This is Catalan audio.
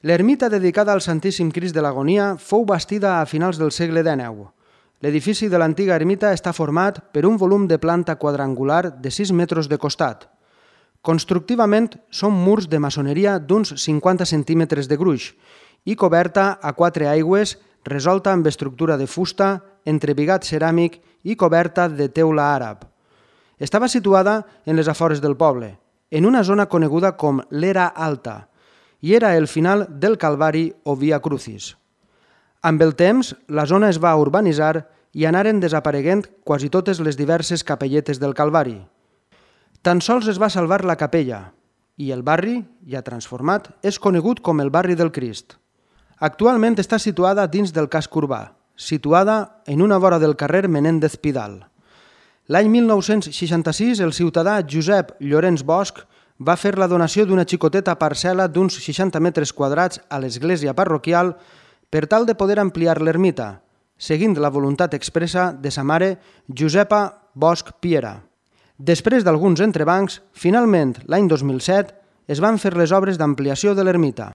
L'ermita dedicada al Santíssim Crist de l'Agonia fou bastida a finals del segle XIX. L'edifici de l'antiga ermita està format per un volum de planta quadrangular de 6 metres de costat. Constructivament són murs de maçoneria d'uns 50 centímetres de gruix i coberta a 4 aigües resolta amb estructura de fusta, entrebigat ceràmic i coberta de teula àrab. Estava situada en les afores del poble, en una zona coneguda com l'Era Alta, i era el final del Calvari o Via Crucis. Amb el temps, la zona es va urbanitzar i anaren desapareguent quasi totes les diverses capelletes del Calvari. Tan sols es va salvar la capella, i el barri, ja transformat, és conegut com el barri del Crist. Actualment està situada dins del casc urbà, situada en una vora del carrer Menéndez Pidal. L'any 1966, el ciutadà Josep Llorenç Bosch va fer la donació d'una xicoteta parcel·la d'uns 60 metres quadrats a l'església parroquial per tal de poder ampliar l'ermita, seguint la voluntat expressa de sa mare Josepa Bosch Piera. Després d'alguns entrebancs, finalment, l'any 2007, es van fer les obres d'ampliació de l'ermita.